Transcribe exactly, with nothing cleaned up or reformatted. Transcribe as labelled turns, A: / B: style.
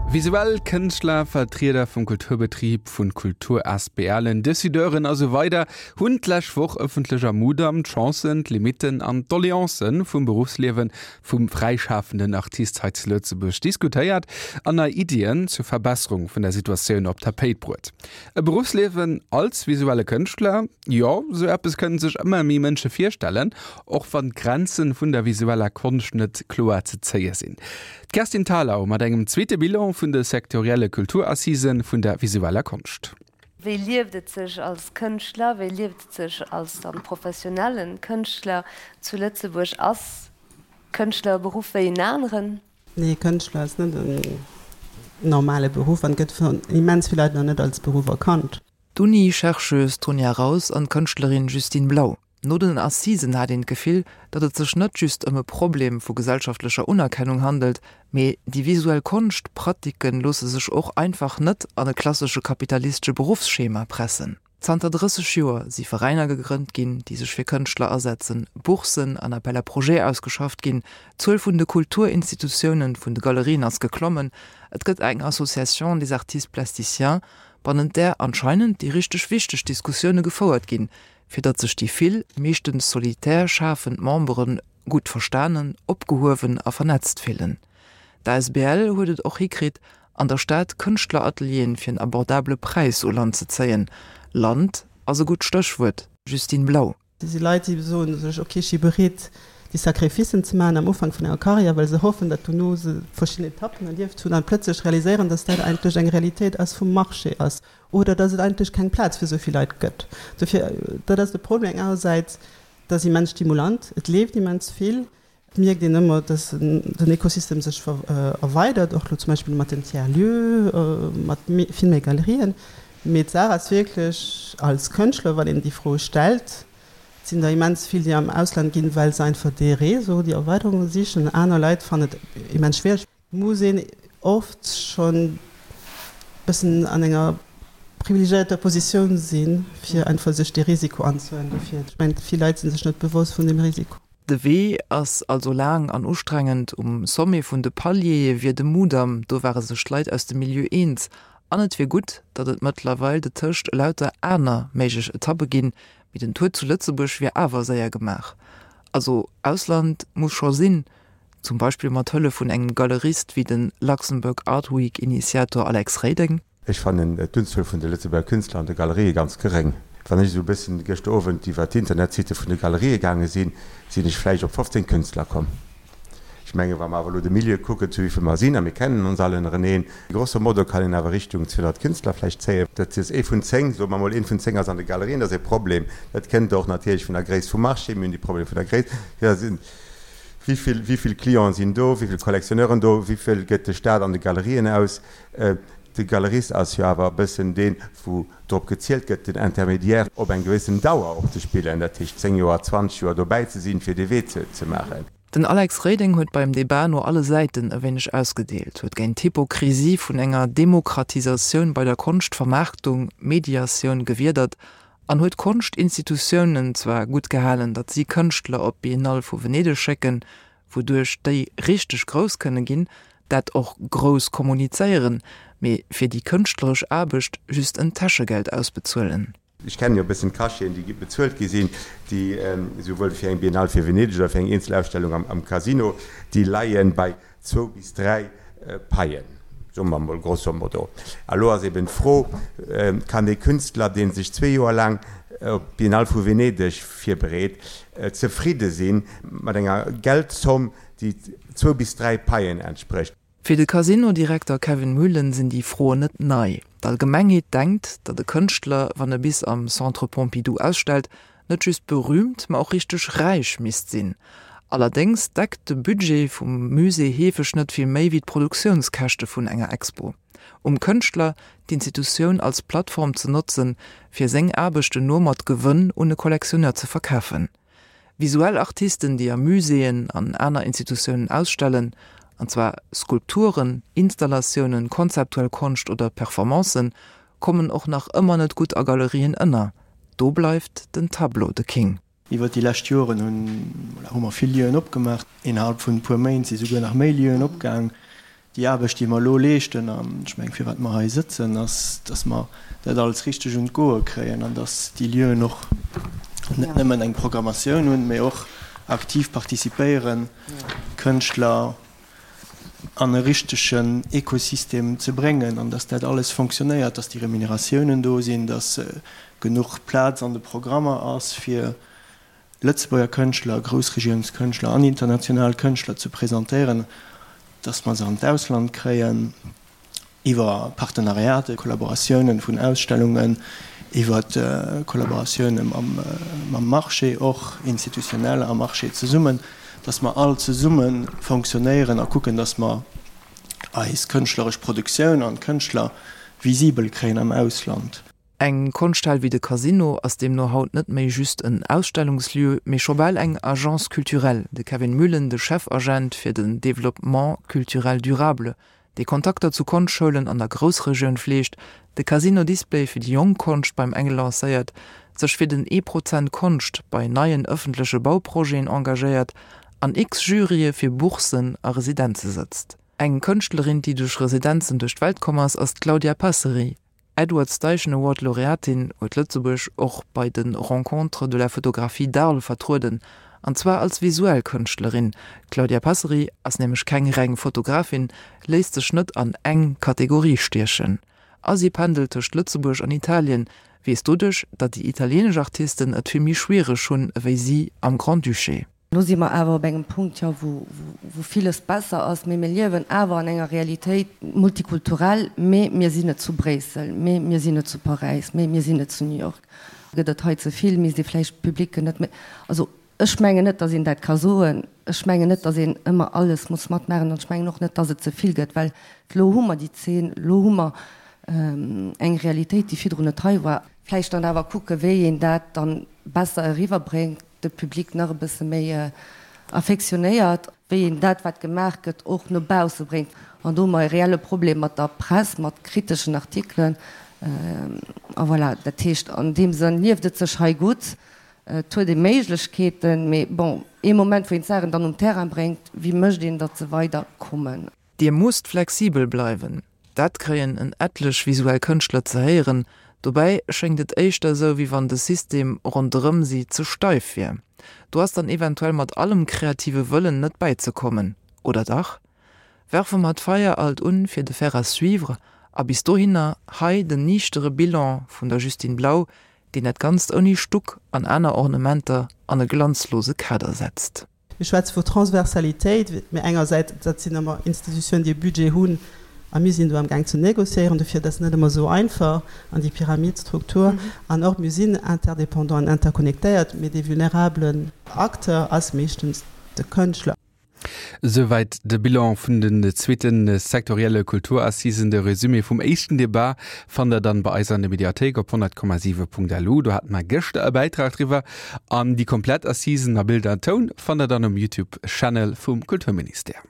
A: Visuell Kënschtler, Vertrieder vum Kulturbetrib, vun Kultur-ASBLen, Decideuren a sou weider hunn d'lescht Woch ëffentlech am Mudam d'Chancen, d'Limitten an d'Doleancen vum Beruffsliewe vum fräischafenden Artist hei zu Lëtzebuerg diskutéiert an nei Iddien zur Verbesserung vun der Situatioun op d'Tapéit bruet. E Beruffsliewen als visuelle Kënschtler? Jo, sou eppes kënnen sech ëmmer méi Mënsche virstellen, och wann d'Grenze vun der visueller Konscht net kloer ze zéie sinn. D'Kerstin Thalau mat engem zweete Bilan vun de sektorielle Kulturassisen vun der visueller Konscht.
B: Wéi lieft et sech als Kënschtler, wéi lieft et sech als dann professionellen Kënschtler zu Lëtzebuerg? Ass Kënschtler e Beruff wéi en aneren?
C: Nee, Kënschtler ass net en normale Beruff an gëtt vun immens vill Leit nach net als Beruff erkannt.
D: D'Uni-Chercheuse Tonia Raus an d'Kënschtlerin Justine Blau. No den Assisen hat een d'Gefill, datt et sech net just ëm e Problem vu gesellschaftlecher Unerkennung handelt, mee déi visuell Konschtpratiken loosse sech och einfach net an e klassesche kapitalistesche Beruffsschema pressen. Zanter drësseg Joer si Veräiner gegrënnt ginn, déi sech fir Kënschtler asetzen, Bourssen an Appels à projets ausgeschafft ginn, d'Zuel vun de Kulturinstitutiounen, vun de Galerien ass geklommen, et gëtt eng Association des artistes plasticiens, bannent där anscheinend déi richteg wichteg Diskussioune gefouert ginn, fir datt sech déi vill, meeschtens solitär schafend Membere gutt verstanen, opgehuewen a vernetzt fillen. D'Asbl huet et och hikritt, an der Stad Kënschtleratelieren fir en abordabele Präis u Land ze zéien. Land ass e gutt Stéchwuert, Justine Blau.
C: Et si Leit, déi soen sech, ok, ech si bereet, déi Sacrificen ze maachen am Ufank vun enger Karriär, well se hoffen, datt dono se verschidden Etappen erlieft hunn an plëtzlech realiséieren, datt dat eigentlech eng Realitéit ass vum Marché ass oder datt et eigentlech keng Plaz fir esou vill Leit gëtt. Dofir, dat ass de Problem engersäits, et ass immens stimulant, et leeft immens vill, et mierkt een ëmmer, datt den Ekosystem sech erweidert, och elo zum Beispill mat den Tiers-lieux, mat vill méi Galerien. Mee d'Saach ass wierklech, als Kënschtler, wann een déi Fro stellt, et sinn der immens vill, déi am Ausland ginn, well se einfach dee Réseau, déi Erweiderung sichen. Aner Leit fannen et immens schwiereg. Et muss een oft schonn e bëssen an enger privilegiéierter Positioun sinn, fir einfach sech dee Risiko anzehuelen. Dofir, ech mengen, vill Leit si sech net bewosst vun deem Risiko.
D: De Wee ass also laang an ustrengend. Um Sommet vun de Paliere wier de Mudam, do ware sech d'Leit aus dem Milieu eens. An et wier gutt, datt et mëttlerweil detëscht elauter aner méiglech Etappe ginn, mee den Tour zu Lëtzebuerg wier awer séier gemaach. Also Ausland muss scho sinn, zum Beispill mat Hëllef vun engem Galerist wéi de Luxembourg Art Week Initiator Alex Reding.
E: Ech fannen d'Unzuel vun de Lëtzebuerger Künstler an de Galerië ganz geréng. Wann ech esou e bëssen gëschter Owend iwwer d'Internetsitte vun de Galerië gaange sinn, sinn ech vläicht op fofzéng Künstler komm. Ech mengen, wa mer awer elo de Milieu kucken, zu wéi vill mer sinn, a mir kennen ons all ënnereneen, grosso modo kann een awer Richtung zweehonnert Künstler vläicht zéien. Dat ass ee vun zéng, soe mer emol, een vun zéng ass an de Galerien. Dat ass e Problem. Dat kënnt och natierlech vun der Gréisst vum Marché. Mir hunn déi Problemer vun der Gréisst. Jo, sinn, wéi vill, wéi vill Clienten sinn do, wéi vill Collectionneuren do, wéi vill gëtt de Staat an de Galerien aus? De Galerist ass jo awer e bëssen deen, wou drop gezielt gëtt, den Intermédiaire op eng gewëssen Dauer och ze spillen, dat heescht zéng Joer, zwanzeg Joer dobäi ze sinn, fir dee Wee ze maachen.
D: Den Alex Reding huet beim Debat no alle Säiten e wéineg ausgedeelt, huet géint d'Hypokrisie vun enger Demokratisatioun bei der Konschtvermaarktung, Mediatioun, gewiedert an huet d'Konschtinstitutiounen zwar gutt gehalen, datt si Kënschtler op d'Biennale vu Venedeg schécken, wouduerch déi richteg grouss kënne ginn, dat och grouss kommunizéieren, mee fir déi kënschtleresch Aarbecht just en Täschegeld ausbezuelen.
E: Ech kennen jo e bëssen d'Cacheten, déi bezuelt gi sinn, déi esouwuel fir eng Biennale fir Venedeg oder fir eng eenzel Ausstellung am Casino, déi leie bei zwou bis dräi Paien, soe mer emol grosso modo. A lo ass eben d'Fro, Kann ee Künstler, dee sech zwee Joer laang op d'Biennale vu Venedeg virbereet, zefridde si mat enger Geldzomm, déi zwou bis dräi Paien entsprécht?
D: Fir de Casino-Direkter Kevin Muhlen sinn déi Froen net nei. D'Allgemengheet denkt, datt e Kënschtler, wann e bis am Centre Pompidou ausstellt, net just berüümt, ma och richteg räich misst sinn. Allerdéngs deckt de Budget vum Musée heefeg net vill méi wéi d'Produktiounskäschte vun enger Expo. Um Kënschtler, d'Institutioun als Plattform ze notzen, fir seng Aarbechten no mat Gewënn un e Kollektionneur ze verkafen. Visuell Artisten, déi a Muséeën an aner Institutiounen ausstellen, an zwar Skulpturen, Installatiounen, konzeptuell Konscht oder Performancen, kommen och nach ëmmer net gutt a Galerien ënner. Do bleift den Tableau de King.
F: Iwwert déi lescht Joren hunn, voilà, hu mer vill Lieuen opgemaach. Innerhalb vun e puer Méint si souguer nach méi Lieuen opgaang. Déi Aarbecht, déi mer elo leeschten, an ech mengen, firwat mer hei sëtzen, ass, dass mer dat alles richteg un d'Goe kréien an dass déi Lieuen och net nëmmen eng Programmatioun hunn, mee och aktiv participéieren, Kënschtler an e richtegen Ekosystem ze bréngen an dass dat alles fonctionnéiert, dass déi Remuneratiounen do sinn, dass genuch Plaz an de Programmer ass, fir Lëtzebuerger Kënschtler, Groussregiounskënschtler an international Kënschtler ze presentéieren, dass mer se an d'Ausland kréien iwwer Partenariaten, Kollaboratiounen vun Ausstellungen, iwwer Kollaboratioune mam Marché och, institutionell a Marché zesummen, dass mer all zesumme fonctionnéieren a kucken, dass mer eis kënschtleresch Produktioun an d'Kënschtler visibel kréien am Ausland.
D: Eng Konschthal wéi de Casino ass deemno haut net méi just en Ausstellungslieu, mee scho bal eng Agence culturelle. De Kevin Muhlen, de Chefagent fir den Développement culturel durable, dee Kontakter zu Konschtschoulen an der Groussregioun fleegt, de Casino Display fir déi jonk Konscht beim Engel lancéiert, sech fir den ee Prozent Konscht bei neien ëffentleche Bauprojeten engagéiert, an x Jurye fir Bourssen a Residenze sëtzt. Eng Kënschtlerin, déi duerch Residenzen duerch d'Welt komm ass, ass d'Claudia Passeri. Edward Steichen Award Laureatin, huet Lëtzebuerg och bei de Rencontres de la photographie d'Arles vertrueden, an zwar als visuell Kënschtlerin. D'Claudia Passeri ass nämlech keng reng Fotografin, léisst sech net an eng Kategorie stiechen a si pendelt tëscht Lëtzebuerg an Italien, weess doduerch, datt déi italienesch Artisten et vill méi schwiereg hunn ewéi si am Grand-Duché.
B: Lo si mer awer op engem Punkt, jo, wou, wou villes besser ass, mee mir liewen awer an enger Realitéit multikulturell, mee mir sinn net zu Bréissel, mee mir sinn net zu Paräis, mee mir sinn net zu New York. Gëtt et hei ze vill, misst ee vläicht d'Publicken net méi, also ech mengen net, datt een dat ka soen, ech mengen net, datt een ëmmer alles muss matmaachen an ech mengen och net, datt et ze vill gëtt, well elo hu mer déi Zeen, elo hu mer eng Realitéit, déi virdrun net hei war. Vläicht dann awer kucken, wéi een dat dann besser eriwwerbréngt, de Public nach e bësse méi affektionéiert, wéi een dat, wat gemaach gëtt, och no bausse bréngt. An do hu mer e reelle Problem mat der Press, mat kriteschen Artikelen. A voilà, dat heescht, an deem Sënn lieft et sech hei gutt, et huet ee Méiglechkeeten, mee bon, ee Moment, wou een d'Saachen dann um Terrain bréngt, wéi mécht een, datt se weider kommen?
D: Dir musst flexibel bleiwen. Dat kréien en etlech visuell Kënschtler ze héieren. Dobäi schéngt et éischter esou, wéi wann de System ronderëm si ze steif wier. Do ass dann eventuell mat allem kreative Wëllen net bäizekommen. Oder dach? Werfe mer d'Feier alt un fir de Faire à suivre a bis dohinner hei den niichtere Bilan vun der Justine Blau, deen dat Ganzt ouni Stuck an aner Ornementer an e glanzlose Kader setzt.
C: Mir schwätze vu Transversalitéit, mee engersäits, dat sinn ëmmer Institutiounen, déi e Budget hunn, a mir sinn do amgaang ze négociéieren, dofir dat ass net ëmmer esou einfach an déi Pyramidstruktur. An och mir sinn interdépendant an interconnectéiert, mee dee vulnerablen Acteur ass meeschtens de Kënschtler.
A: Souwäit de Bilan vun den zweete sektorielle Kulturassisen. De Resumé vum éischten Debat fannt der dann bei eis an der Mediathéik op honnert Komma siwe Punkt lu. Do hate mer gëschter e Bäitrag driwwer. An déi komplett Assisen a Bild an Toun fannt der dann um Youtube Channel vum Kulturministère.